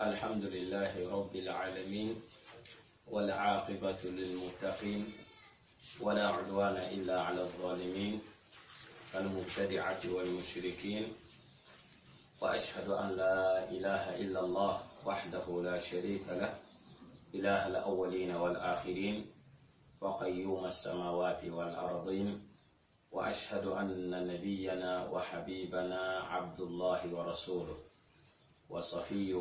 الحمد لله رب العالمين، والعاقبة للمتقين، ولا عدوان إلا على الظالمين المبتدعة والمشركين، وأشهد أن لا إله إلا الله وحده لا شريك له، إله الأولين والآخرين، وقيوم السماوات والأرضين، وأشهد أن نبينا وحبيبنا عبد الله ورسوله، وصفيه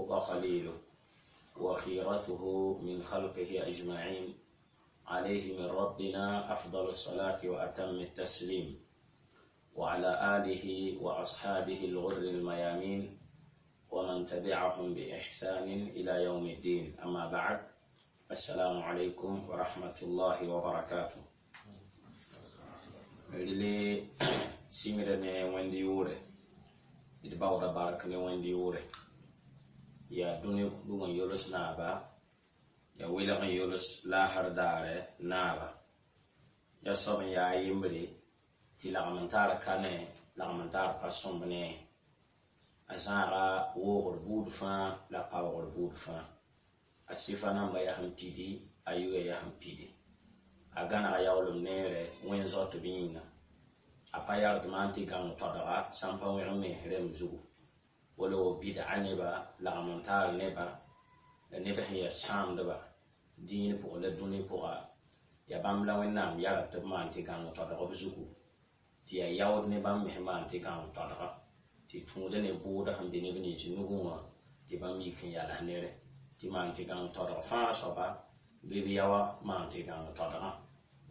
وخليله، وخيرته من خلقه أجمعين، عليه من ربنا أفضل الصلاة وأتم التسليم، وعلى آله وأصحابه الغر الميامين، ومن تبعهم بإحسان إلى يوم الدين. أما بعد، السلام عليكم ورحمة الله وبركاته. Rɩle sɩngda ne wẽnd yʋʋre, d baooda bark ne wẽnd yʋʋre. Yaa dũni kũdg n yols naaba, yaa welg n yols laasr daare naaba. Yaa soab n yaa yembre tɩ lagm n tar ka ne, lagm n tar pa sõmb ne. A zãaga woogr buud fãa la paoogr buud fãa. A sɩfa namba yaa sẽn pidi, a yʋya yaa sẽn pidi. A gãnega yaoolem neere wẽn zoatb yĩnga. A pa yard maan tɩ gãng todga sã n pa wẽg mens rẽmb zugu. Wala wo bid'a neba, lagm n taar neba, la neb sẽn yaa sãamdba dĩin pʋgã la dũni pʋga, yaa bãmb la Wẽnnaam yara tɩ b maan tɩ gãng todg b zugu, tɩ yaa yaood ne bãmb mes maan tɩ gãng todga, tɩ tũuda ne bʋʋda sẽn be neb nins nugẽ wã, tɩ bãmb yik n yals nere tɩ maan tɩ gãng todg fãa soaba bɩ b yaoa maan tɩ gãng todgã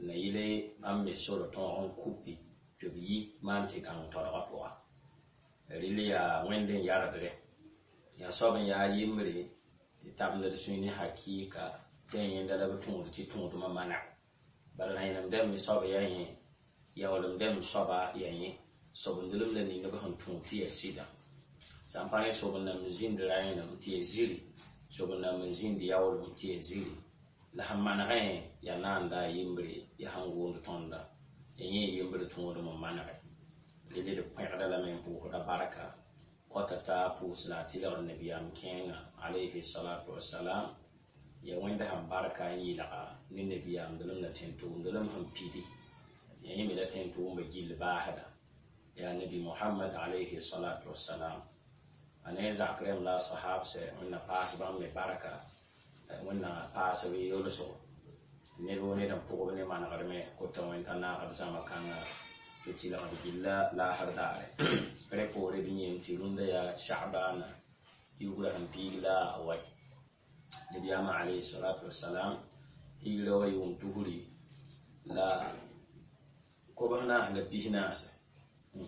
la yɩle bãmb me sor tõog n kupi tɩ b yi maan tɩ gãng todgã pʋga. Rɩl yaa wẽnd n yardre, yaa soab n yaa yembre tɩ tabend d sũy ne hakɩɩka tɩ yaa yẽnda la b tũud tɩ tũudmã maneg. Bala rãenem dɛmb soab yaa yẽ, yaoolem dɛmb soaba yaa yẽ, sobendlem la ning b sẽn tũud tɩ yaa sɩda. Sã n pa rẽ sobend-nãmb n zĩnd rãenem tɩ yaa ziri, sobend-nãmb n zĩnd yaoolem tɩ yaa ziri. La sẽn manegẽ yaa naanda a yembre, yaa sẽn gʋʋnd tõnda, yaa yẽ yembre tõodem n manege. Rɩl d pẽgda lame n pʋʋsda barka kɔta t'a pʋʋs la a tɩlgd nabiyaam kẽengã alayhi salatu wasalam. Yaa wẽnda sẽn barka n yɩlga ne nabiyaamdlem la tẽn-tʋʋmdlem sẽn pidi. Yaa yẽ me la tẽn-tʋʋmbã gill baasda, yaa nabi Mohamad alayhi salatu wasalam. A ne zak rẽmb la a sahabsɛ, Wẽnna paas bãmb me barka, Wẽnna paas b yolsgo. Ned woo ned n pʋgb ne manegr me kota wẽn t'a naagd zãma kãnga tɩ tɩlgd gilla laasr daare. Rẽ poore d yẽem tɩ rũndã yaa Sha'bana kiugrã sẽn piig la a wai. Nabiyaamã alayhi salatu wasalam higra wa yʋʋm tusri la kobs naas la pis naase,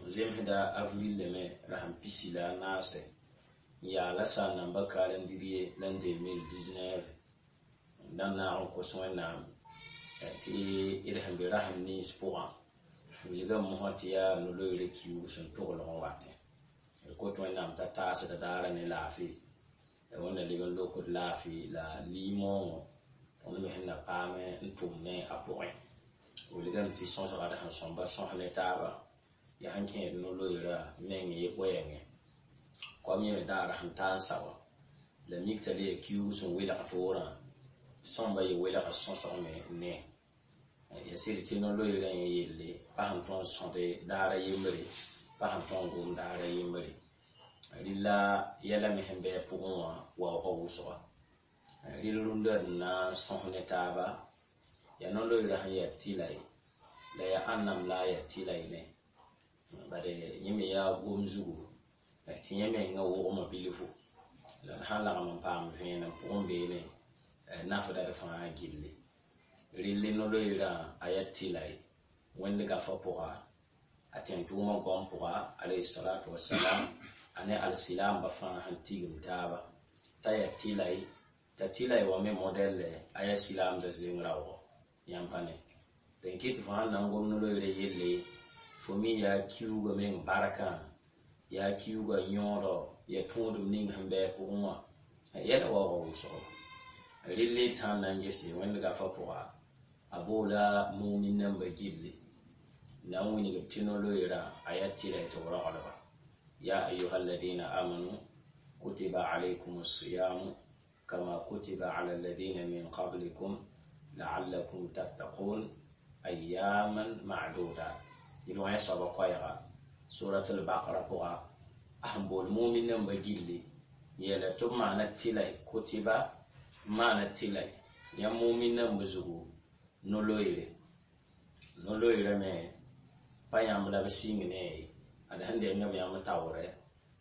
zemsda avril me rasẽn pisi la a naase, n yaa la sã n namba calendrier l'an 2019. D na naag n kos Wẽnnaam tɩ d sẽn be rasem nins pʋgã, wilgame mosã tɩ yaa no-loeerã kiuug sẽn toglg n watẽ. D kot Wẽnnaam t'a taasd daara ne laafɩ, la Wẽnna leb n lokd laafɩ la limoongõ tõnd me sẽn na paame n tʋm ne a pʋgẽ. Wilgame tɩ sõsga d sẽn sõmba sõs ne taaba, yaa sẽn kẽed no-loeerã meng ye goɛɛngẽ. Koam yẽ me daara sẽn ta n sa wã, la mik t'a le yaa kiuug sẽn welg toorã, sõmba ye welg sõsg me ne. Ya sɩd tɩ no-loeerã yẽ yelle pa sẽn tõe n sõde daara yembre, pa sẽn tõe n gom daara yembre. Rɩla yɛla me sẽn bɩ a pʋgẽ wã waoogã wʋsga. Rɩl rũndã d na n sõs ne taaba, yaa no-loeerã sẽn yaa tɩlay la yaa ãnnam la a yaa tɩlay ne. Bad yẽ me yaa gom zugu tɩ yẽ mengã wogmã bilfu, la d sãn lagm n paam vẽenem pʋgẽ beene nafda d fãa gilli. Rɩl no-loeerã a yaa tɩlay wẽnd gafã pʋga, a tẽn-tʋʋmã goam pʋga alayhi salatu wasalam, a ne alsilamba fãa sẽn tigim taaba t'a yaa tɩlay, t'a tɩlay wã me modɛlle a yaa silaamdã zeng raoogɔ yãmb pa ne. Dẽn kɩ tɩ fo sãn na n gom no-loeerã yelle, fo mi yaa kiuugã meng barkã, yaa kiuugã yõodɔ, yaa tũudem ning sẽn bɩ a pʋgẽ wã, yɛla waoogã wʋsgo. Rɩl d sãn na n gese wẽnd gafã pʋga, a boola mumin nambã gilli na n wilg tɩ no-loeerã a yaa tɩlay tɩ b roglba. Ya ayuha alladina amanu Kutiba alaykum as-siyam kama kutiba ala alladhina min qablikum la'allakum tattaqun ayyaman ma'dudat. Tɩ wã soaba koɛɛga suratul baqara pʋga a sẽn bool mumin namba gilli yeela tɩ b maana tɩlay kutiba maana tɩlay yãmb mumin namba zugu no-loeere no-loeerã me pa yãmb la b sɩng ne ye ad sẽn deng b yãmb taoorɛ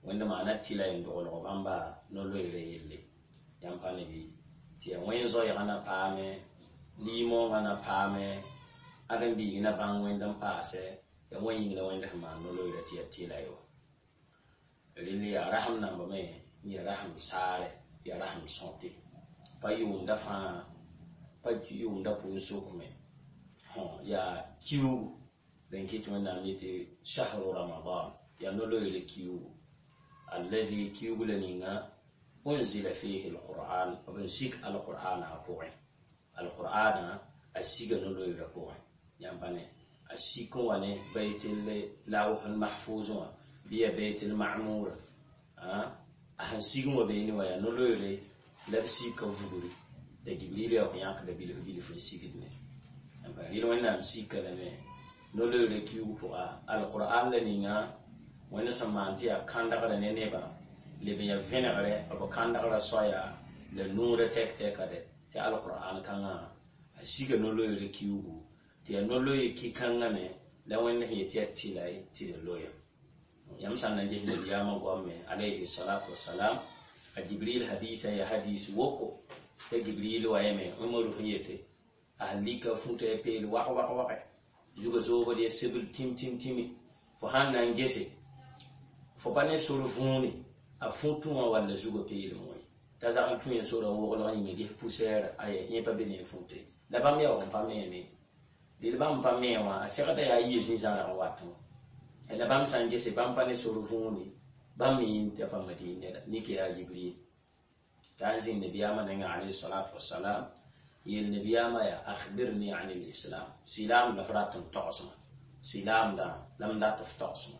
wẽnd maana tɩlay n doglg bãmba no-loeerã yelle yãmb pa ne bɩ tɩ yaa wẽn zoɛɛgã na paame liimoongã na paame ãdem-biig na bãng wẽnd n paasɛ yaa wã yĩng la wẽnd sẽn maan no-loeerã tɩ yaa tɩlay wã rẽnd yaa rasem namba me n yaa rasem saarɛ yaa rasem sõte pa yʋʋmda fãa pa yʋʋmda pʋʋn-sok me yaa kiugu rẽn kɩ tɩ wẽnnaam yetɩ shahru ramadan yaa no-loeere kiugu alladhi kiugu la ninga unzila fihi alquran b n sik alqur'ana a pʋgẽ alqur'ana a siga no-loeerã pʋgẽ yãmb pa ne a sik n wa ne bayt lawh mahfuz wã bɩ ya bayt lmamura a sẽn sig n wa beene wã yaa no-loeere la b sika vugri la jibril yaa yãkda bilf bilf n sigd me rɩl wẽnnaam sika lame no-loeere kiugu pʋga alqur'an la ninga wẽnd sẽn maan tɩ yaa kãndgrã ne nebã leb n yaa vẽnegrɛ b kãndgrã soaya la nuurã tɛk tɛka dɛ tɩ alqur'an kãngã a siga no-loeere kiugu tɩ yaa no-loeer ki-kãngã me la wẽnd sẽn yet tɩ yaa tɩlay tɩ d loya yãmb sã n na n ges nabiyaamã goam me alayhi salatu wasalam a jibril hadisa ya hadis woko t'a jibril wa yame umaru sẽn yete a sẽn lika fũta ya peel wag wag wage zuga zoobd ya sebl tĩm tĩm tĩmi fo sãn na n gese fo pa ne sor võone a fũtẽ wã walla zuga peelem wã t'a zagl tũ ya sora n woglg yĩnga ges poussière aya yẽ pa be ne fũte la bãmb yaoog n pa meeme deel bãmb pa me wã a segda yaa yɩ zĩ-zãrg watẽ wã la bãmb sã n gese bãmb pa ne sor võone bãmb me yĩm t'a pa madin neda nik yaa jibril t'a n zĩng nabiyaamã nengã alayhi salatu wasalam yeel nabiyaamã yaa akhbirni an lislam silaam la f rat n togsmã silaamdã la m dat f togsmã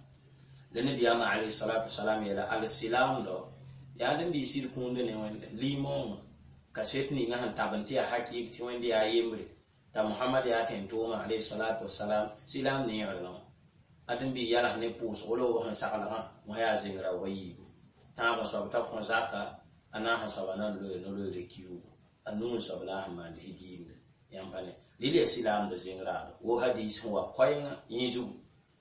la nabiyaamã alayhi salatu wasalam yeela alsilaamdo yaa dẽn bɩ sɩd kũunda ne wẽnde liimoongã kaset ninga sẽn tab n tɩ yaa hakɩɩk tɩ wẽnd yaa yembre t'a mohamad yaa tẽn-tʋʋmã alayhi salatu wasalam silaam neegrã wã adẽn bɩ yals ne pʋʋsgo la b sẽn saglgã wã yaa zĩngra wa yiibu tãab n soab t'a kõ zaka a naas n soaba na n loe no-loeere kiugu a nuu n soab la a sẽn maand higiimde yãmb pa ne rɩl yaa silaamda zĩngraado wo hadis sẽn wa koɛɛngã yẽ zugu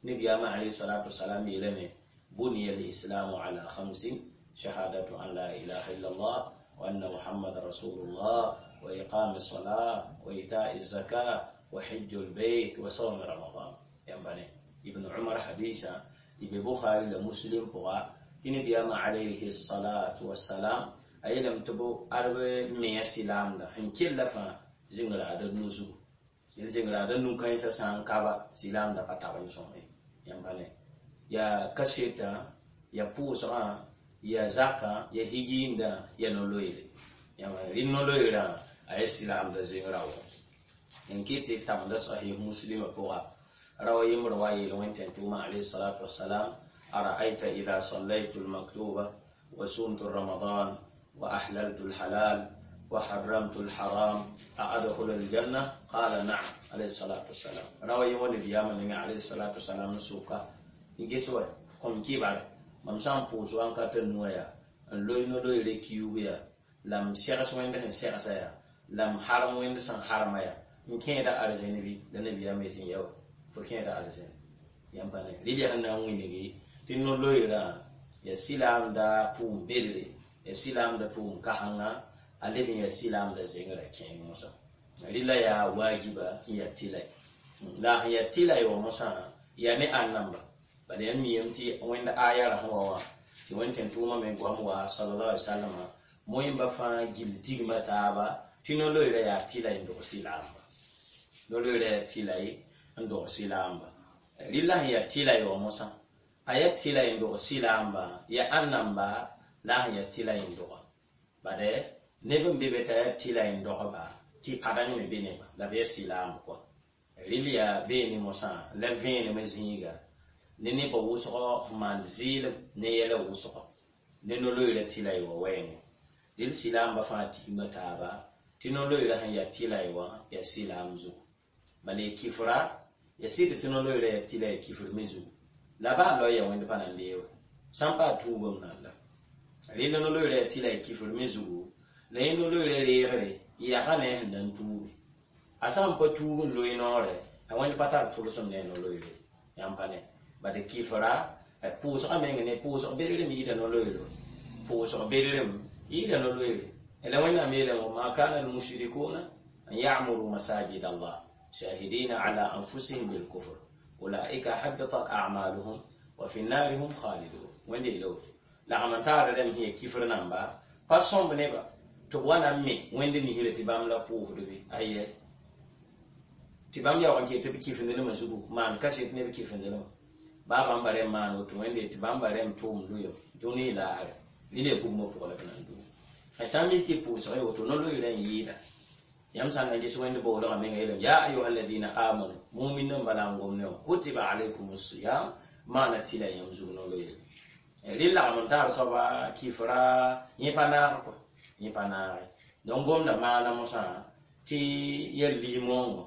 nabiyaamã alayhi salatu wasalam yeelame buniya lislamu ala khamsin shahadatu an la ilaha illallah wa anna muhammadan rasulullah wa iqami الصلاة وإيتاء الزكاة وحج البيت وصوم رمضان yãmb pa ne ibn umar hadisa tɩ be bukhari la muslim pʋga tɩ nabiyaamã alayhi salatu wasalam a yeelame tɩ b alb mea silaamda sẽn kella fãa zĩngraada nu zugu yel zĩngraada nu-kãensã sã n kaba silaamda pa tab n sõme yãmb pa ne yaa kasetã ya pʋʋsgã ya zakã ya higiimdã ya no-loeere yãmb rɩ no-loeerã a ya silaamda zĩngra wã n kɩ tɩ tabenda sahih muslima pʋga rawa yembr wa yeel wẽn tẽn-tʋʋmã alayhi salatu wasalam ara'ayta idha sallaytu lmaktuba wa sumtu ramadan wa ahlaltu lhalal wa haramtu lharam a adkhulu aljanna qala na'am alayhi salatu wasalam rawa yẽ wa nabiyaamã ninga alayhi salatu wasalam n soka n ges wa kõm kɩbare mam sã n pʋʋs wãnkat n nuã yaa n loe no-loeere kiuug yaa la m segs wẽnd sẽn segsa yaa la m harem wẽnd sẽn harma yaa n kẽeda arzẽn bɩ la nabiyaam yetɩ n yawa fo kẽeda arzẽn yãmb pa ne rɩl yaa sẽn na n wĩnigi tɩ no-loeerã yaa silaamda tʋʋm bedre yaa silaamda tʋʋm kasengã a leb n yaa silaamda zengrã kẽeng mosã rɩla yaa waajiba n yaa tɩlay la sẽn yaa tɩlay wã mosã yaa ne ãn-namba bala yãmb miyame tɩ wẽnd aya ra sẽn wa wã tɩ wẽnd tẽn-tʋʋmã me goam wa sallallahu alaihi wasallam moẽmba fãa gill tigma taaba tɩ no-loeerã yaa tɩlay n dog silaamba no-loeerã yaa tɩlay n dog silaamba rɩla sẽn yaa tɩlay wã mosã a yaa tɩlay n dog silaamba yaa ãn-namba la a sẽn yaa tɩlay n doga bade neb n be be t'a yaa tɩlay n dogba tɩ padeng me be neba la b yaa silaamb kɔa rɩl yaa beene mosã la vẽenemã zĩiga ne nebã wʋsgɔ sẽn maand zɩɩlem ne yɛla wʋsgɔ Ne no-loeerã tɩla y wã wɛɛngẽ. Rel sɩlaamba fãa tigma taaba tɩ no-loeerã sẽn yaa tɩla y wã yaa sɩlaam zugu. Bala y kifra ya sɩd tɩ no-loeerã yaa tɩla ya kifr me zugu. La baa loe ya wẽnd pa na n deoog. Sã n paa tuubame nanda. Rẽnd no-loeerã yaa tɩla ya kifr me zugu, la yẽ no-loeerã reegre yaga ne a sẽn na n tuubi. A sã n pa tuub n loe noorɛ, a wẽnd pa tar tʋlsem ne a no-loeere. Yãmb pa ne. Bad kifra, pʋʋsgã meng ne pʋʋsg bedrem yɩɩda no-loeero. Pʋʋsg bedrem yɩɩda no-loeere. La Wẽnnaam yeelame wa ma kana almushrikuna an ya'muru masajid Allah shahidina ala anfusihim bilkufr ulaika habitat a'maluhum wa fi nnari hum khalidun. Wẽnde yeela woto. Lagm n taara rẽmb sẽn yaa kifr namba pa sõmb neba tɩ b wa na n me Wẽnd misrã tɩ bãmb la pʋʋsdbe. Ayɛ. Tɩ bãmb yaoog n ket tɩ b kifindlmã zugu maan kaset ne b kifindlmã. Baa bãmba rẽmb maan woto Wẽnde tɩ bãmba rẽmb tʋʋm loeem dũni laasre. Rɩla yaa bugmã pʋgã la b na n duu. A sã n mik tɩ pʋʋsg y woto no-loeerã n yɩɩda. Yãmb sã n na n ges Wẽnd boolgã menga yeelame ya ayuha alladina amanu mumin namba la n gom ne wã kutiba alaykum siyam maana tɩla yãmb zug no-loeere. Rɩ lagm n taar soaba kifra yẽ pa naag kɔa. Yẽ pa naage. Donc gomda maana mosã tɩ ya lis-moongõ.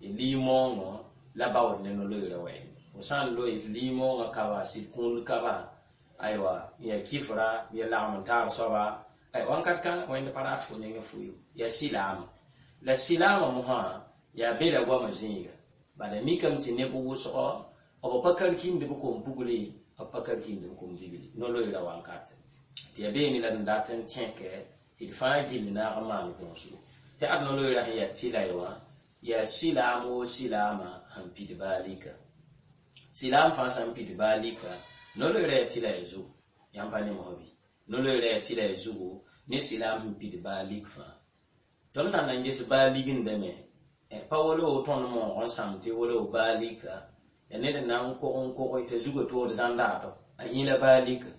Lis-moongõ la baood ne no-loeerã wɛɛngẽ. Fo sã n loe tɩ lis-moongã kaba sɩd kũund kaba aywa ya kifra ya lagm n taar soaba wãnkat kãngã Wẽnd pa rat fo nengẽ fo yo. Yaa sɩlaama. La sɩlaamã mosã yaa bela goamã zĩiga. Bala mikame tɩ neb wʋsgɔ b pa karkĩnd b kom-pugli, b pa karkĩnd b kom-dibli. No-loeerã wankate. Tɩ yaa beene la d dat n tẽke tɩ d fãa gill naag n maan gõosgo. Tɩ ad no-loeerã sẽn yaa tɩla y wã yaa sɩlaam woo sɩlaamã sẽn pid baa lika. Sɩlaam fãa sã n pid baa lika, no-loeerã yaa tɩla ya zugu. Yãmb pa ne mosã bɩ? No-loeerã yaa tɩla ya zugu ne sɩlaam sẽn pid baa lik fãa. Tõnd sã n na n ges baa ligindame, pa wala wo tõnd moog n sãm tɩ wala wo baa lika, yaa ned n na n kog n koge t'a zugã tood zãndaato, a yẽ la baa lika.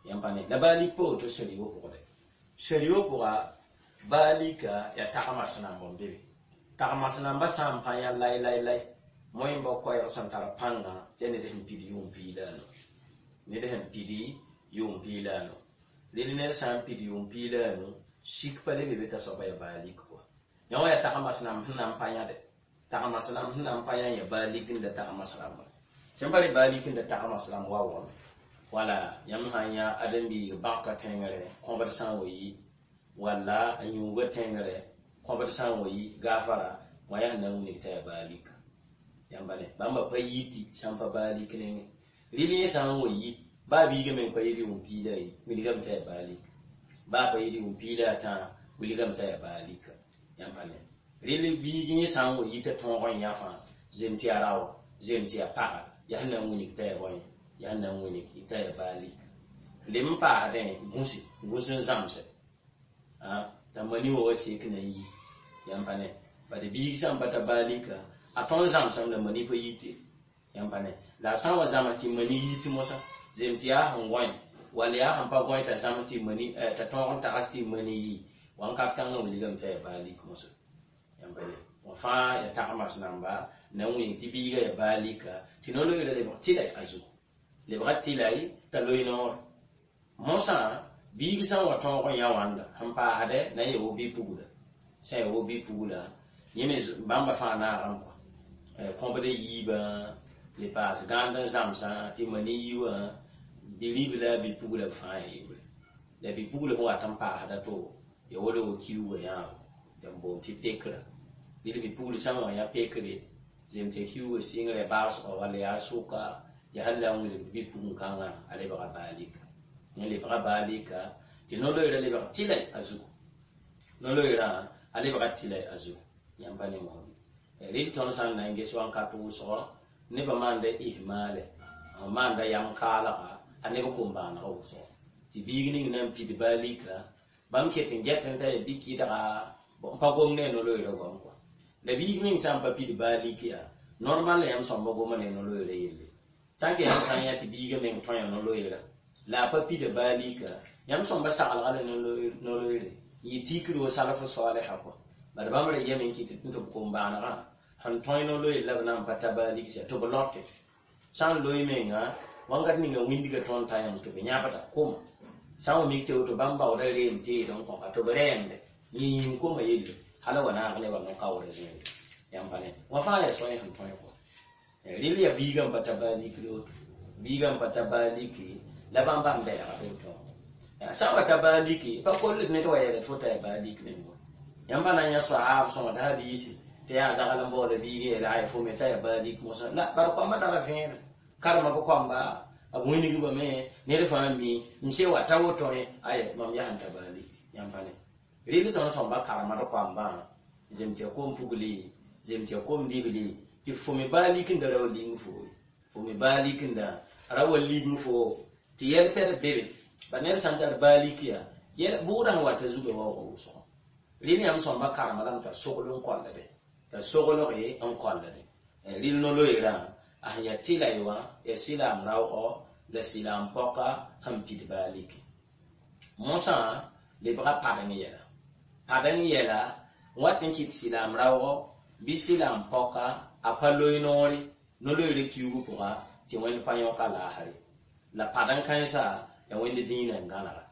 Yãmb pa ne. La baa lik pa woto sẽn-yo pʋgdɛ. Sẽn-yo pʋga baa lika yaa tagmas namba n be be. Tagmas namba sã n pa yã lai lai lai, moẽmba koɛɛg sẽn tar pãnga tɩ yaa ned sẽn pid yʋʋm piig la a nu. Ned sẽn pid yʋʋm piig la a nu. Rel ned sã n pid yʋʋm piig la a nu, sik pa le be be t'a soaba yaa baa lik kɔa. Yã wã yaa tagmas namb sẽn na n pa yãde. Tagmas namb sẽn na n pa yã yaa baa lik n da tagmas rãmba. Tɩ n pa re baa lik n da tagmas rãmb wa wame. Wala yãmb sã n yã ãdem-biig bãka tẽngre kõbd sã n wa yi, walla a yũuga tẽngre kõbd sã n wa yi gaafara, wã yaa sẽn na n wilg t'a yaa baa lika. Yãmba ne bãmba pa yiti sã n pa baa lik nengẽ. Rɩl yẽ sã n wa yi, baa biigã meng pa yɩ yʋʋm piig la a yi, wilgame t'a yaa baa lika. Baa pa yɩ yʋʋm piig la a tãa, wilgame t'a yaa baa lika. Yãmb pa ne. Rɩl biig yẽ sã n wa yi t'a tõog n yã fãa, zem tɩ yaa rao, zem tɩ yaa paga, yaa sẽn na n wilg t'a yaa bõe, yaa sẽn na n wilg t'a yaa baa lika. Lem n paasdẽ gũse, gũs n zãmse. T'a mani wa wa sek na n yi. Yãmb pa ne. Bad biig sã n pa ta baa lika, a tõnd zãmsame la mani pa yite. Yãmb pa ne. La a sã n wa zãms tɩ mani yit mosã, zem tɩ yaa sẽn gõe, wall yaa sẽn pa gõe t'a zãms tɩ mani, t'a tõog n tags tɩ mani yi, wãnkat kãngã wilgame t'a yaa baa lik mosã. Yãmb pa ne. Wã fãa yaa tagmas namba na n wing tɩ biigã yaa baa lika, tɩ no-loeerã lebg tɩla a zugu. Lebga tɩla t'a loe noore. Mosã biig sã n wa tõog n yã wãnda sẽn paasdɛ na n yaa wo bi-pugla. Sã n yaa wo bi-pugla, yẽ me bãmba fãa naagame kɔa. Kõbd yiibã, le paas gãand n zãmsã tɩ mani yi wã, bi-ribla la bi-pugla b fãa yaa yebre. La bi-pugla sẽn wat n paasda to, yaa wala wo kiuugã yãabo, tɩ b boond tɩ pekra. Rɩl bi-pugl sã n wa yã pekre, zem tɩ kiuugã sɩngrã baasgã walla yaa sʋka, yaa sẽn la n wilgd bi-pugẽ-kãngã a lebga baa lika. Yẽ lebga baa lika tɩ no-loeerã lebg tɩla a zugu. No-loeerã a lebga tɩla a zugu. Yãmb pa ne mosã bɩ? Rɩl tõnd sã n na n ges wãnkat wʋsgɔ, nebã maanda ihmaale, n maanda yam kaalga a neb kom-bãanegã wʋsgɔ. Tɩ biig ning na n pid baa lika, bãmb ket n get n t'a yaa bi-kɩdga, n pa gom ne a no-loeerã goam kɔa. La biig meng sã n pa pid baa lik yaa, normal la yãmb sõmba goma ne no-loeerã yelle. Tã que yãmb sã n yã tɩ biigã meng tõe no-loeerã, la a pa pida baa lika, yãmb sõmba saglga la no-loeere, yɩ tikr wo salf soalsa kɔa. Bad bãmb ra yame n kɩt tɩ b kom-bãanegã sẽn tõe no-loeer la b na n pa ta baa lik sã tɩ b lote. Sã n loe menga, wãnkat ninga wĩndgã tõnd t'a yãmb tɩ b yãbda koma. Sã n wa mik tɩ woto bãmb baooda reem teed n kõka tɩ b rɛɛmde yẽ yĩng koma yelle hal wa naag nebã no-kaoorã zĩigre. Yãmb pa ne wã fãa yaa sõe sẽn tõe kɔ. Rɩl yaa biigã n pa ta baa likre woto, biigã n pa ta baa liki la bãmb bãmb bɛɛga tɩ b tõog. Sã n wa ta baa liki pa koll tɩ ned wa yeela tɩ fo ta yaa baa lik meng wa. Yãmb pa na n yã soaab sõma t'a hadiisi tɩ yaa zagl n baooda biig yeela ay fo me t'a yaa baa lik mosã la bar koambã tara vẽenem karema b koamba b wĩnigba me ned fãa mi m se wa ta woto ay mam yaa sẽn ta baa lik. Yãmb pa ne rɩl tõnd sõmba karema d koambã zem tɩ ya kom pugli, zem tɩ ya kom dibli tɩ fo me baa lik n da ra wa ling fo, fo me baa lik n da ra wa ling fo tɩ yɛl pɛd bebe ba ned sã n tar baa lik yaa yɛl bʋʋdã sẽn wa t'a zugã waoogã wʋsgɔ. Rɩl yãmb sõmba karema lame t'a sogl n kollde, t'a soglg n kollde. Rɩl no-loeerã a sẽn yaa tɩla ye wã yaa sɩlaam raoogɔ la sɩlaam pɔka sẽn pid baa liki. Mosã lebga padeng yɛla, padeng yɛla n wat n kɩt sɩlaam raoogɔ bɩ sɩlaam pɔka a pa loe noore no-loeerã kiugu pʋga tɩ wẽnd pa yõka laasre la padeng kãensa yaa wẽnd dĩinã n gãnega.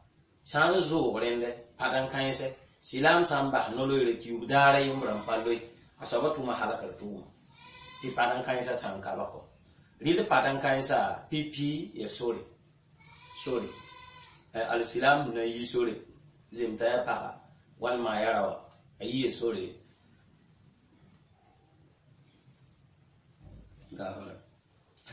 Sã n zoog rẽndɛ padeng kãensɛ sɩlaam sã n bas no-loeerã kiug daara yembrã n pa loe a soaba tʋma halkr tʋʋma tɩ padeng kãensã sã n ka ba kɔ. Rɩl padeng kãensa pipi ya sore, sore alsilam na yi sore zem t'a yaa paga walma a yaa raoa a yiya sore gafara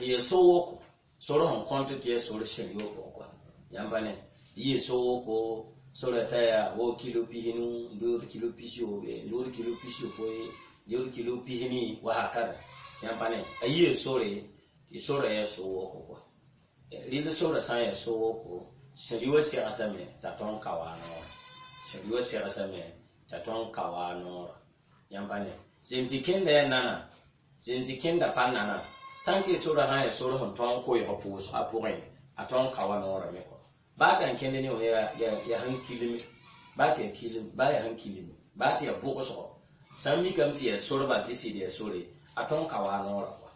ya so woko sore sẽn kõnt tɩ yaa sore sẽn yo pʋgẽ kɔa. Yãmb pa ne yiya so woko sora t'a yaa wo kilo 15 n dood kilo 70, n dood kilo 60, n dood kilo 20 wa hakada. Yãmb pa ne a yiya sore tɩ sora yaa so woko kɔa. Rɩl sora sã n yaa so woko sẽn wa segsame t'a tõnd ka wa noorã, sẽn wa segsame t'a tõnd ka wa noorã. Yãmb pa ne zem tɩ kẽnda yaa nana, zem tɩ kẽnda pa nana tãnk sora sã n yaa sor sẽn tõog n koeesg pʋʋsgã pʋgẽ a tõog n ka wa noorã me kɔ. Baa tɩ n kẽnd ne wã yaa sẽn kilime, baa tɩ yaa kilim, baa yaa sẽn kilime, baa tɩ yaa bʋgsgɔ sã n mikame tɩ yaa sor bal tɩ sɩd yaa sore a tõog n ka wa noorã kɔa.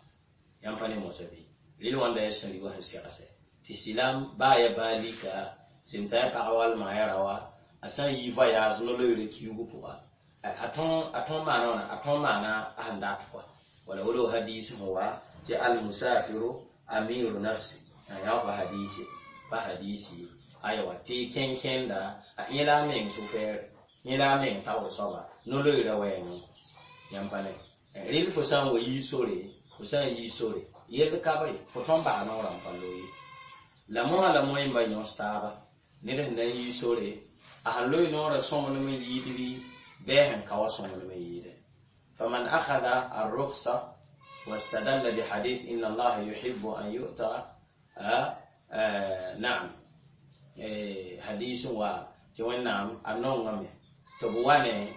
Yãmb pa ne mosã bɩ rɩl wãnda yaa sẽn wã sẽn segsɛ tɩ sɩlaam baa yaa baa lika zem t'a yaa pagã walma yaa raoa a sã n yi voyage no-loeerã kiugu pʋga a tõog maana wãna, a tõog maana a sẽn dat kɔa. Wala wolo hadis sẽn wa tɩ almusafiru amiru nafsi a yã pa hadisi, pa hadisi aywa tɩ kẽn-kẽnda a yẽla a meng sʋ-fɛɛr, yẽla a meng taoor soaba no-loeerã wɛɛngẽ. Yãmb pa ne rɩl fo sã n wa yii sore, fo sã n yii sore yell ka be fo tõnd bas noorã n pa loe la mosã la moẽmba yõs taaba ned sẽn na n yii sore a sẽn loe noorã sõmblem n yɩɩd bɩ bɩ a sẽn ka wa sõmblem n yɩɩdɛ. فمن أخذ الرخصة واستدل بحديث إن الله يحب أن يؤتى نعم حديث و نعم أنهم تبواني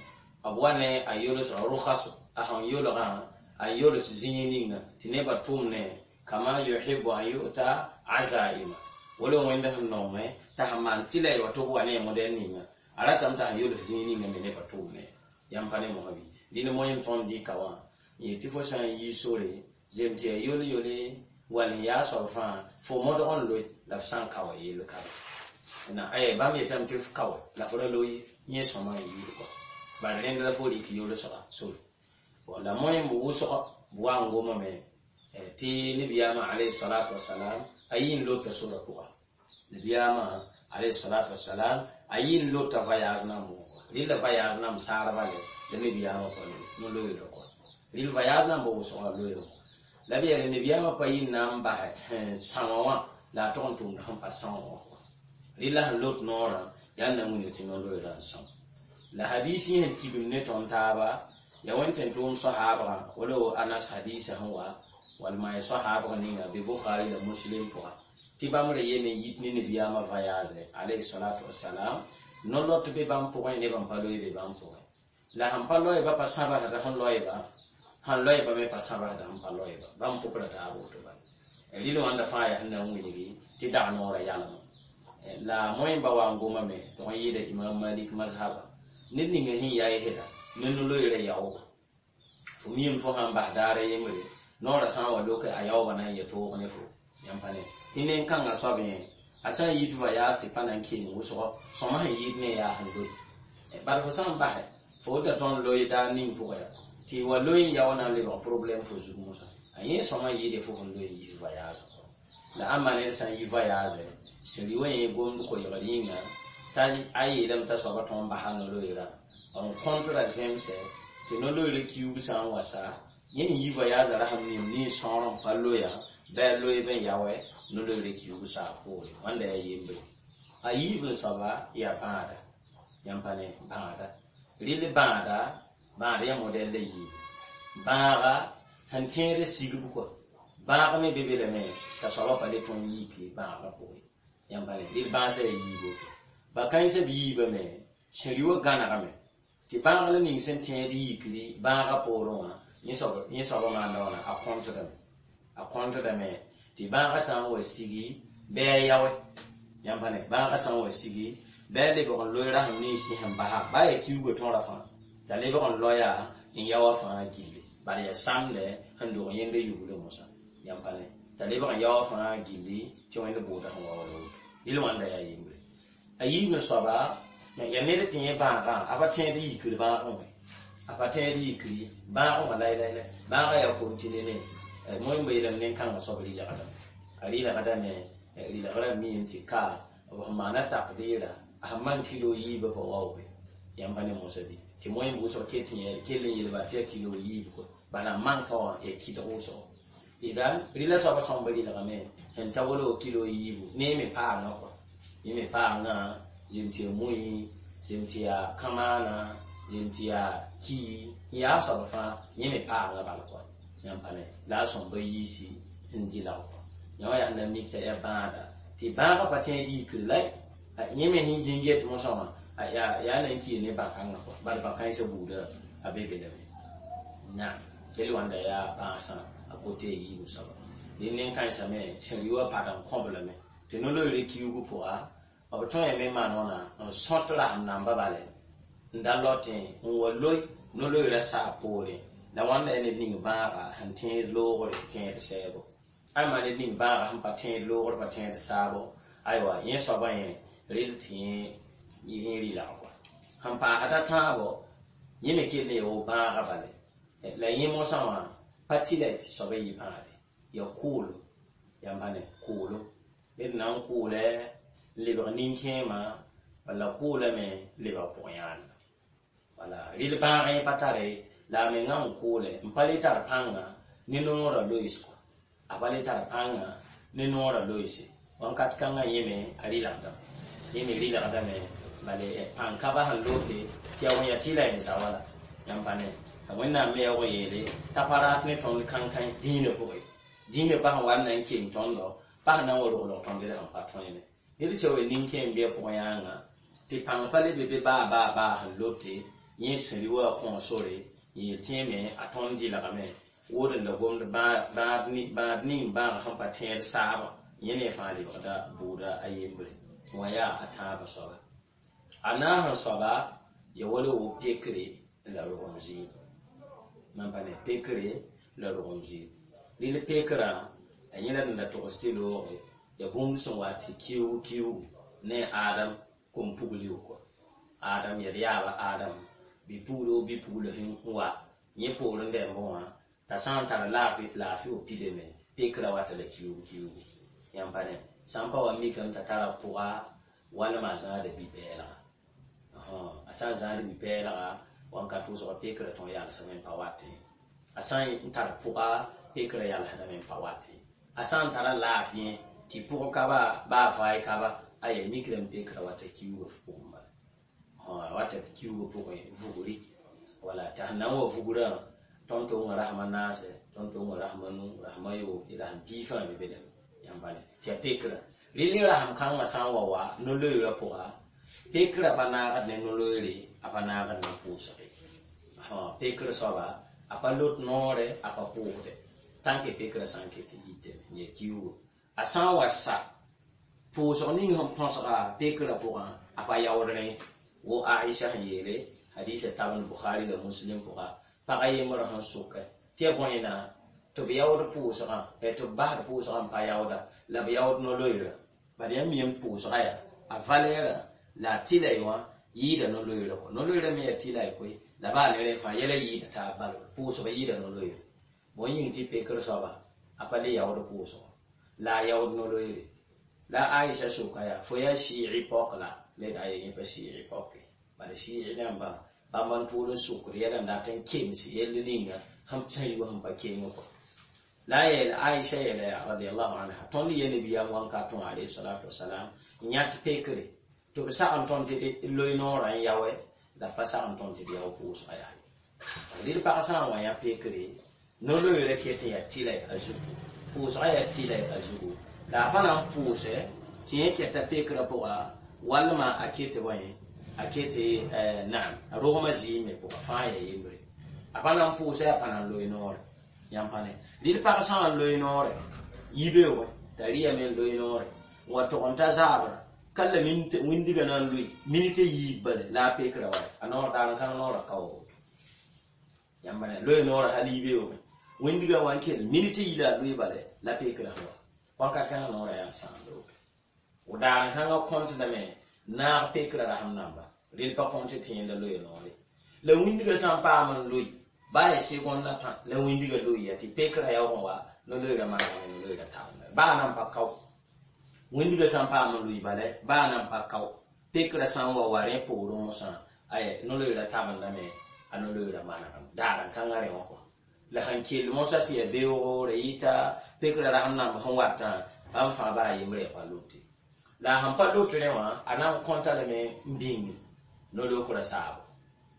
أبواني أيولس الرخص أهم يولغا أيولس زينين تنبا تومني كما يحب أن يؤتى عزائم ولو عندهم نوم تهمان تلا وتبواني مدنين أراتم تهيولس زينين من نبا تومني يمباني مهبي dĩn moẽm tõnd dɩka wã yẽ tɩ fo sã n yi sore zem tɩ yaa yol-yole wall sẽn yaa soab fãa fo modg n loe la f sã n ka wa yell ka be na bãmb yetame tɩ f ka wa la fo ra loe yẽ sõma n yiid kɔa bala rẽnd la fo rɩk yolsga sore. Bon la moẽm b wʋsg b wa n gomame tɩ nebiyaamã alayhi salatu wasalam a yɩ n lota sora pʋga, nebiyaamã alayhi salatu wasalam a yɩ n lota voyage nan bʋgẽ kɔa. Rɩla voyage nam saarba le la nebiyaamã pa loe no-loeerã kɔa, rɩl voyage nan bɩ wʋsgã loeerã la b yeele nebiyaamã pa yɩ n na n basɛ sẽn sãoã wã la a tog n tʋmd sẽn pa sãoã wã kɔa. Rɩla sẽn lot noorã yaa n na n wilg tɩ no-loeerã n são. La hadis yẽ sẽn tigim ne tõnd taaba yaa wẽnd tɩ n tʋʋm soahaabgã wala Anas hadisa sẽn wa walma ya soahaabg ninga bɩ Bukhari la Muslim pʋga tɩ bãmb ra yeme n yit ne nebiyaamã voyage alayhi salatu wasalam no-lot be bãmb pʋgẽ ne bãmb pa loe be bãmb pʋgẽ la sẽn pa loeeba pa sãbsda sẽn loeeba, sẽn loeeba me pa sãbsda sẽn pa loeeba bãmb pʋkra taab woto bala. Rɩl wãnda fãa yaa sẽn na n wilgi tɩ dag noorã yalema la moẽmba wa n gomame tɩ n yɩɩda Imam Malik mazhaba ned ninga sẽn yaa yesda ne no-loeerã yaoogo fo miime fo sãn bas daara yembre noorã sã n wa loke a yaoobã na n yɛ toog ne fo. Yãmb pa ne tɩ nen-kãngã soab yẽ A sã n yit voyage tɩ pa na n keng wʋsgo, sõma sẽn yɩɩd ne yaa sẽn loe. Bala fo sã n basɛ, fo da tõnd loe daar ning pʋgã yaa tɩ wa loe n yao na n lebg problème fo zug mosã. A yẽ sõma n yɩɩde fo sẽn loe n yis voyage. La ãmba ned sã n yi voyage, sẽn rɩ wa yẽ gomd koɩlgr yĩnga t'a a yeelame t'a soaba tõnd basa no-loeerã n kõtra zemsɛ tɩ no-loeerã kiuug sã n wa sa, yẽ sẽn yi voyage rasem nim nin-sõor n pa loya bɩ a loeeb n yaoɛ no-loeerã kiuug saa poore. Wãnda yaa yembre. A yiib n soaba yaa bãada. Yãmb pa ne bãada. Rɩl bãada, bãad yaa modɛl la yiib. Bãaga sẽn tẽed sigb kɔa. Bãag me be be lame t'a soaba pa le tõe n yiike bãagã pʋgẽ. Yãmb pa ne rɩl bãasã yaa yiib woto. Ba-kãensã b yiibame sẽn rɩ wã gãnegame tɩ bãag la ning sẽn tẽed yikri bãagã poorẽ wã, yẽ soaba maanda wãna a kõntdame. A kõntdame tɩ bãagã sã n wa sigi bɩ a yaoe. Yãmb pa ne bãagã sã n wa sigi bɩ a lebg n loe rasem nins sẽn basa baa yaa kiuugã tõra fãa t'a lebg n loya n yaoa fãa gilli. Bala yaa samdɛ sẽn dog yẽnda yuglẽ mosã. Yãmb pa ne t'a lebg n yaoa fãa gilli tɩ Wẽnd bʋʋda sẽn wa wala woto. Rɩl wãnda yaa yembre. A yiib n soaba yaa ned tɩ yẽ bãagã a pa tẽed yikr bãagẽ wã. A pa tẽed yikri bãagẽ wã laylay. Bãagã yaa kontine ne moẽ yeelame nen-kãngã soab rɩlgdame. A rɩlgdame, rɩlgrã miime tɩ ka b sẽn maana taqdiira a sẽn maan kilo yiibã pa waooge. Yãmb pa ne mosã bɩ tɩ moẽ wʋsg ket n kell n yeelba tɩ yaa kilo yiib kɔa. Bala n manka wã yaa kɩdg wʋsgo. Idan rɩla soabã sõmb rɩlgame sẽn ta wala kilo yiibu ne me paamã kɔa. Yẽ me paamã zem tɩ yaa mui, zem tɩ yaa kamaana, zem tɩ yaa ki, n yaa soab fãa yẽ me paamã bala kɔa. Yãmb pa ne la a sõmba yiisi n dɩlg kɔa. Yã wã yaa sẽn na mik t'a yaa bãada tɩ bãagã pa tẽed yikr la yẽ me sẽn zĩng get mosã wã yaa na n kɩɩ ne bã-kãngã kɔa. Bala bã-kãensã buudã a be be lame. Naam, kell wãnda yaa bãasã a kote yiib soaba. Dẽ nen-kãensã me sẽn rɩ wã pad n kõb lame tɩ no-loeerã kiuug pʋga b tõe me maan wãna n sõt rasem namba bale n da lotẽ n wa loe no-loeerã saa poorẽ. La wãnda yaa ned ning bãaga sẽn tẽed loogre tẽed sɛɛbo. Ayma ned ning bãaga sẽn pa tẽed loogr pa tẽed saabo, aywa yẽ soabã yẽ rɩl tɩ yẽ rɩlg kɔa. Sẽn paasd a tãabo yẽ me kell n yaa wo bãaga bale. La yẽ mosã wã pa tɩ la tɩ soaba yɩ bãade. Yaa kʋʋlem. Yãmb pa ne kʋʋlem. Ned na n kʋʋlɛ n lebg nin-kẽema walla kʋʋlame n lebg pʋg-yãanema. Wala rɩl bãag yẽ pa tare la a mengã n kʋʋlɛ n pa le tar pãnga ne noorã loees kɔa. A pa le tar pãnga ne noorã loeese. Wãnkat kãngã yẽ me a rɩlgdame. Yẽ me rɩlgdame bale pãn-kaba sẽn lote tɩ yaa wẽ yaa tɩ la yẽ za wala. Yãmb pa ne t'a Wẽnnaam me yaa wa yeele t'a pa rat ne tõnd kãn-kãe dĩinã pʋgẽ. Dĩinã pa sẽn wa n na n keng tõndo, pa sẽn na n wa roglg tõnd d sẽn pa tõene. Ned sã wa nin-kẽem bɩ a pʋgẽ yãanga tɩ pãng pa le be be baa baa baa sẽn lote yẽ sẽn rɩ wa kõ sore n yeel tɩ yẽ me a tõnd dɩlgame wood n la gomd bãad ning bãag sẽn pa tẽed saabã yẽ ne fãa lebgda bʋʋda a yembre. Wã yaa a tãabã soaba. A naas n soaba yaa wala wo pekre la rogem zɩɩm. Mam pa ne pekre la rogem zɩɩm. Rɩl pekrã a yẽla d da togs tɩ looge yaa bũmb sẽn wa tɩ kiuug kiuugu ne Adam kom-pugl kɔa. Adam yaa d yaaba Adam bi-puglo bi-pugl sẽn wa yẽ poorẽ dɛmb wã t'a sã n tar laafɩ tɩ laafɩ wa pidame pekrã wata la kiuug kiuugu. Yãmb pa ne sã n pa wa mikame t'a tara pʋga walma a zãada bi-pɛɛlga. A sã n zãad bi-pɛɛlga wãnkat wʋsga pekrã tõe n yalsame n pa watẽ. A sã n tar pʋga pekrã yalsdame n pa watẽ. A sã n tara laafɩ tɩ pʋg ka ba baa vaay ka ba aya mikrame pekrã wata kiuugã f pʋgẽ bala. Wata kiuugã pʋgẽ vugri. Wala t'a sẽn na n wa vugrã tõnd tʋʋngã rasma naase, tõnd tʋʋngã rasma nu, rasma yoob, rasm pii fãa be be lame. Yãmb pa ne tɩ yaa pekrã. Rɩl rasem kãngã sã n wa wa no-loeerã pʋga, pekrã pa naagd ne no-loeere, a pa naagd ne pʋʋsge. Pekr soaba a pa lot noore, a pa pʋʋsde. Tã n ke pekrã sã n ket n yitame n yaa kiuugo. A sã n wa sa pʋʋsg ning sẽn põsga pekrã pʋgã, a pa yaood rẽ. Wo Aisha sẽn yeele hadisa tabend Bukhari la Muslim pʋga, pagã yembr sẽn sʋkɛ tɩ ya bõe na tɩ b yaood pʋʋsgã, tɩ b basd pʋʋsgã n pa yaooda la b yaood no-loeerã. Bad yãmb mi n pʋʋsga yaa a valɛɛrã la a tɩlay wã yɩɩda no-loeerã kɔ no-loeerã me yaa tɩlay koe la baa ne rẽ fãa yɛla yɩɩda taab bala pʋʋsg yɩɩda no-loeere bõe yĩng tɩ pekr soaba a pa le yaood pʋʋsgo la a yaood no-loeere la Aisha soka yaa fo yaa sɩɩg pɔk la la d aye yẽ pa sɩɩg pɔke bala sɩɩg rãmbã bãmb n tʋʋl n sokd yɛla n dat n kems yell ninga sẽn rɩ sẽn pa keng kɔ la a yeela Aisha yeela yaa radiallahu anha tõnd ye nabiyaam wãnkat wã alayhi salatu wasalam n yãt pekre tɩ b sag n tõnd tɩ d loe noorã n yaoɛ la b pa sag n tõnd tɩ d yao pʋʋsga yaa ye rɩd pag sã n wa yã pekre no-loeerã ket n yaa tɩla a zugu pʋʋsga yaa tɩla a zugu la a pa na n pʋʋsɛ tɩ yẽ kɛta pekrã pʋga walma a ket bõe a ket naam a rogmã zɩɩme pʋga fãa yaa yembre a pa na n pʋʋsɛ a pa na n loe noore yãmb pa ne rɩd pag sã n loe noore yibeoogẽ t'a rɩyame n loe noore n wa tog n ta zaabra ka la wĩndiga na n loe minit yiib bale la a pekrã wa a noor daar n kãng noorã kaoogo yãmb pa ne loe noorã hal yibeoogẽ wĩndiga wa n kell minit yi la a loe bale la pekrã sẽn wa wakat kãngã noorã yaa sãam looge w daar n kãngã kõntdame naag pekrã rasem namba rel pa kõnt tɩ yẽnda loe noore la wĩndiga sã n paam n loe baa ya segond la tã la wĩndiga loeya tɩ pekrã yaoog n wa no-loeerã manegame no-loeerã tabenda baa nan pa kao wĩndiga sã n paam n loe bala baa nan pa kao pekrã sã n wa wa rẽ poorẽ mosã aya no-loeerã tabendame a no-loeerã manegame daar n kãngã rẽ wã kɔ la sẽn kell mosã tɩ yaa beoogo ra yɩta pekrã rasem namb sẽn watã bãmb fãa baa yembre ya pa lote la a sẽn pa lot rẽ wã a na n kõta lame n bĩnge no-lokrã saabo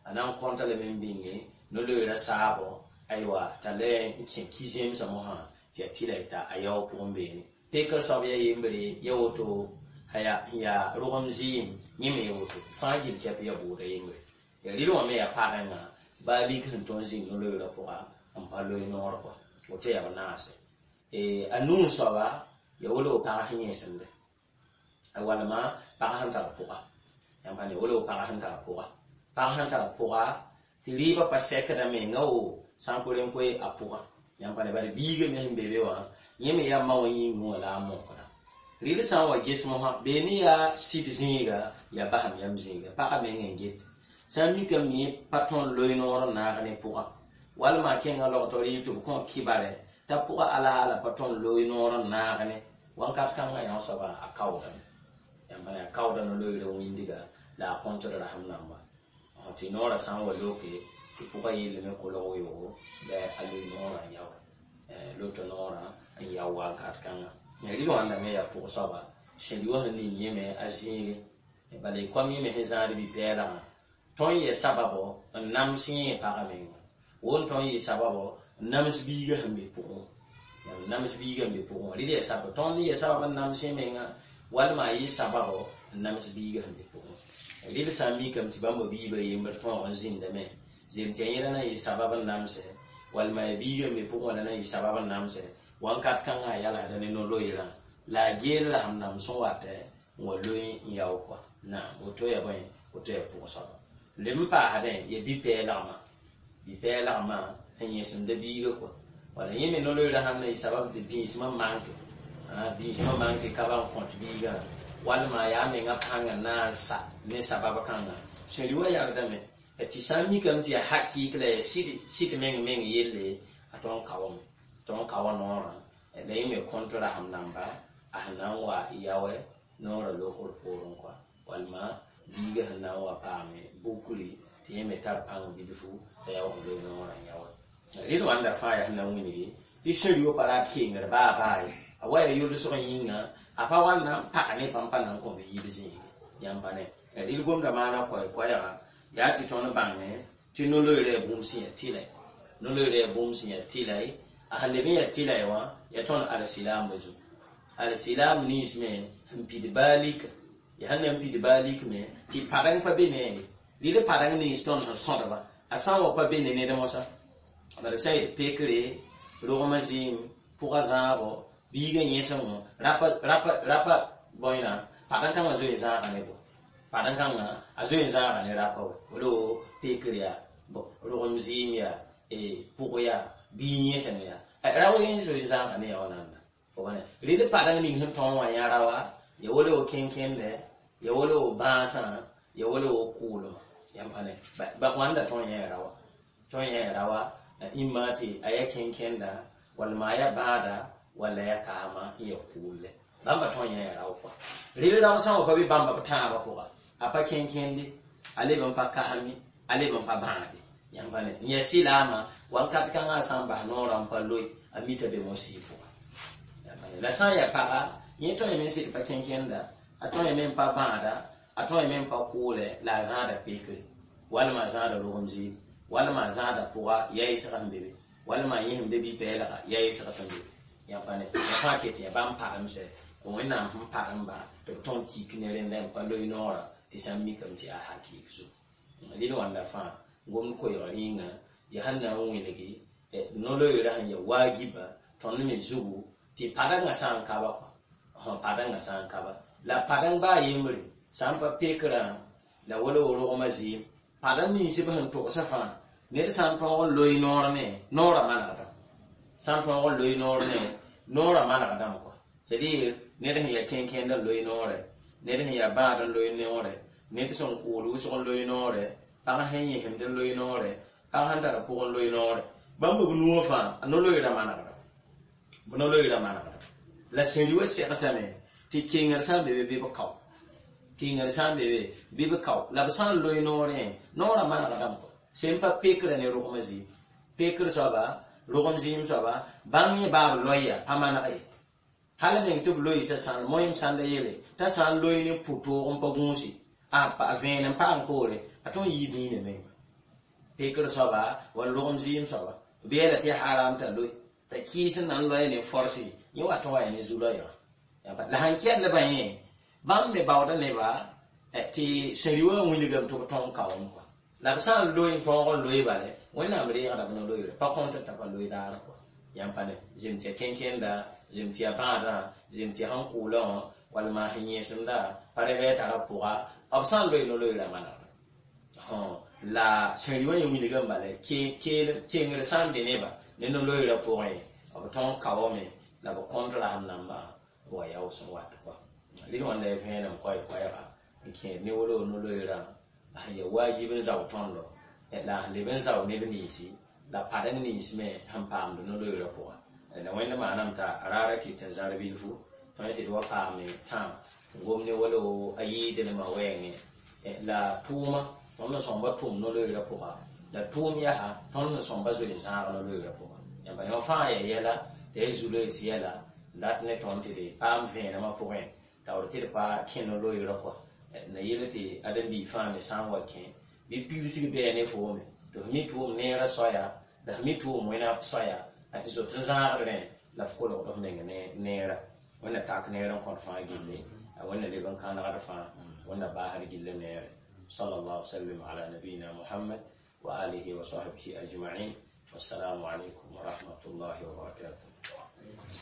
a na n kõta lame n bĩnge no-loeerã saabo aywa t'a le n kẽ ki-zẽmsã mosã tɩ yaa tɩla t'a a yao pʋgẽ beene pekr soab yaa yembre ya woto sẽn yaa rogem zɩɩm yẽ me ya woto fãa gil kɛp ya bʋʋda yembre ya rɩl wã me yaa pagenga baa lik sẽn tõnd zĩng no-loeerã pʋga n pa loe noor kɔ woto yaa b naase a nuu soaba ya wolo pag sẽn yẽsemde walma pag sẽn tar pʋga yãmb pa ne wolo pag sẽn tar pʋga pag sẽn tar pʋga tɩ rɩɩbã pa sɛkda menga wo sã n kore n koe a pʋga yãmb pa ne bala biiga me sẽn be be wã yẽ me yaa ma wã yĩngẽ wã la a mokra rɩl sã n wa ges mosã beene yaa sɩd zĩiga yaa basem yam zĩiga pagã meng n get sã n mikame yẽ pa tõnd loe noor n naag ne pʋga walma a kẽngã logtɔ rɩɩb tɩ b kõ kɩbare t'a pʋga alaala pa tõnd loe noor n naag ne wãnkat kãngã yã soaba a kaoodame yãmb pa ne a kaooda no-loeerã wĩndiga la a kõntd rasem namba tɩ noorã sã n wa loke tɩ pʋgã yeelame kolg weoogo la a loe noorã n yao loto noorã n yao wakat kãngã rɩl wãnda me yaa pʋg soaba sẽn wã sẽn ning yẽme a zĩige bala y koam yẽme sẽn zãad bi-pɛɛlgã tõnd yɛ sababo n nams yẽ pagã menga won tõnd yɩ sababo n nams biiga sẽn be pʋgẽ n nams biiga n be pʋgẽ rɩl yɛ sabab tõnd yɛ sabab n nams yẽ menga walma a yɩ sababo n nams biiga sẽn be pʋgẽ rɩl sã n mikame tɩ bãmba biibã yembr tõog n zĩndame zem tɩ yaa yẽla na yɩ sabab n namsɛ walma ya biiga n be pʋgẽ wã la na yɩ sabab n namsɛ wãnkat kãngã a yalsda ne no-loeerã la a geel rasem nam sẽn watɛ n wa loe n yao kɔa naam woto ya bõe woto ya pʋg soaba leb n paasdẽ ya bi-pɛɛlgmã bi-pɛɛlgmã sẽn yẽsemda biiga kɔa wala yẽ me no-loeerã sãn na yɩ sabab tɩ bĩismã manke bĩismã mank tɩ ka ba n kõt biigã walma yaa menga pãngã na n sa ne sabab kãngã sẽn rɩ wã yagdame tɩ sã n mikame tɩ yaa hakɩɩk la yaa sɩd meng meng yelle a tõnd kaoame tõnd kaoa noorã la yẽ me kõnt rasem namba a sẽn na n wa yaoɛ noorã lokr poorẽ kɔa walma biiga sẽn na n wa paame bukri tɩ yẽ me tar pãng bilfu t'a yaoog n loe noorã n yaoɛ rɩl wãnda fãa yaa sẽn na n wilgi tɩ sẽn rɩ pa rat kengr baa baa ye a wa yaa yolsg yĩnga a pa wa na n pag ne bãmb pa na n kõ b yiib zĩige yãmb pa ne rɩl gomda maana koɛɛ-koɛɛga yaa tɩ tõnd bãngẽ tɩ no-loeerã yaa bũmb sẽn yaa tɩlɛ no-loeerã yaa bũmb sẽn yaa tɩlɛ a sẽn leb n yaa tɩlɛ wã yaa tõnd alsilaamã zugu alsilaam nins me n pid baa lika ya sẽn na n pid baa lik me tɩ padeng pa be ne ye rɩl padeng nins tõnd sẽn sõdba a sã n wa pa be ne ned mosã bala b sã n yet pekre rogmã zɩɩm pʋga zãabo biigã yẽsem rapa rapa rapa bõena padeng kãngã zoe n zãaga ne bo padeng kãngã a zoe n zãaga ne rapa wa wala pekr yaa rogem zɩɩm yaa pʋg yaa bii yẽsem yaa rawa yẽ zoe n zãaga ne yaa wã nanda rɩl padeng ning sẽn tõog wã yã rawa Ya wala wo kẽnkẽndɛ, ya wala wo bãasã, ya wala wo kʋʋlmã. Yãmb pa ne ba wãnda tõe n yẽ rawa, tõe n yẽ rawa ĩmma tɩ a ya kẽnkẽnda, walma a ya bãada, walla ya kaama n ya kʋʋlle. Bãmba tõe n yẽ rao kɔa. Rel rao sã n wa pa be bãmba b tãabã pʋga, a pa kẽnkẽnde, a leb n pa kasem ye, a leb n pa bãade. Yãmb pa ne n ya sɩlaamã wakat kãngã sã n bas noorã n pa loe, a mita be mosɩ pʋga. La sã n yaa paga, yẽ tõe me n sɩd pa kẽnkẽnda, a tõe me n pa bãada, a tõe me n pa kʋʋlɛ, la a zãada peekre, walma a zãada rogem zɩɩm, walma a zãada pʋga yaa yɩsga sẽn be be, walma a yẽsemde bɩ-pɛɛlga yaa yɩsga sẽn be be. Yãmb pa ne ya fãa ket yaa bãmb paremsɛ kõ Wẽnnaam sẽn paremba tɩ b tõnd tik ne rẽnda n pa loe noorã tɩ sã n mikame tɩ yaa hakɩɩk zugu. Rɩl wãnda fãa gomd koɛɛg rĩnga yaa sẽn na n wilgi no-loeerã sẽn ya waagiba tõnd me zugu tɩ padengã sã n ka ba kɔa, padengã sã n ka ba la padeng baa yembre sã n pa pekrã la wala wo rogmã zɩɩm padeng nins b sẽn togsã fãa ned sã n tõog n loe noor ne noorã manegdame, sã n tõog n loe noor ne noorã manegdame kɔa. C'est à dire ned sẽn yaa kẽnkẽnd n loe noorɛ, ned sẽn yaa bãad n loe noorɛ, ned sẽn kʋʋl wʋsg n loe noorɛ, pag sẽn yẽsemd n loe noorɛ, pag sẽn tara pʋg n loe noorɛ. Bãmb b nuwã fãa a no-loeerã manegdame, b no-loeerã manegdame. La sẽn wã segsame tɩ kengr sã n be be bɩ b kao, kengr sã n be be bɩ b kao, la b sã n loe noorẽ noorã manegdame kɔa. Sẽn pa pekrã ne rogmã zɩɩm, pekr soaba rogem zɩɩm soaba bãmb yẽ baa b loeya pa maneg ye. Hal meng tɩ b loeesa sãn moẽm sãnda yele t'a sã n loe ne pʋ-toog n pa gũusi a vẽen n paam poore, a tõe n yii dĩinã menga. Pekr soaba wall rogem zɩɩm soaba b yeela tɩ yaa haram t'a loe t'a kɩɩs n na n loe ne forsi yẽ wat n wa ya ne zu-loɛɛga. La sãn kɛllbã yẽ bãmb me baooda neba tɩ sẽn wã wilgame tɩ b tõog n kaoom kɔa. La b sã n loe n tõog n loe bale Wẽnnaam reegda b no-loeere pa kõnt t'a pa loe daarã kɔa. Yãmb pa ne zem tɩ ya kẽnkẽnda, zem tɩ ya bãadã, zem tɩ ya sẽn kʋʋlã wã, walma sẽn yẽsemda, pa rẽ bɩ a tara pʋga, b sã n loe no-loeerã manegda. La sẽn wã yẽ wilgame bala kengr sã n be neba ne no-loeerã pʋgẽ, b tõog n kaoome la b kõnt rasem nambã wa yaoos n wat kɔa. Rɩl wãnda ya vẽenem koɛɛga n kẽed ne wolo no-loeerã sẽn ya waajib n zao tõndo la sẽn leb n zao neb ninsi la padeng nins me sẽn paamd no-loeerã pʋga. La Wẽnd maaname t'a raara kɩt n zãr bilfu tõe tɩ d wa paame tãam n gom ne wala a yɩɩdnemã wɛɛngẽ la tʋʋma tõnd sẽn sõmba tʋm no-loeerã pʋga, la tʋʋm yaa tõnd sẽn sõmba zoe n zãag no-loeerã pʋga. Yãmba yõ fãa yaa yɛla t'a ya zu-loees yɛla dat ne tõnd tɩ d paam vẽenemã pʋgẽ taoor tɩ d pa kẽ no-loeerã kɔa. La yel tɩ ãdem-biig fãa me sã n wa kẽ bɩ pigsg bɩa ne foome tɩ f mi tɩ wʋm neerã soaya la f mi tɩ wʋm wẽna soaya n zot n zãagd rẽ la f kolgd f meng ne neerã. Wẽnna tak neer n kõt fãa gilli, a Wẽnna leb n kãnegd fãa, Wẽnna baasd gill neere. Sallallahu sallam ala nabiyina Muhammad wa alihi wa sahbihi ajma'in. Wassalamu alaikum wa rahmatullahi wa barakatuh.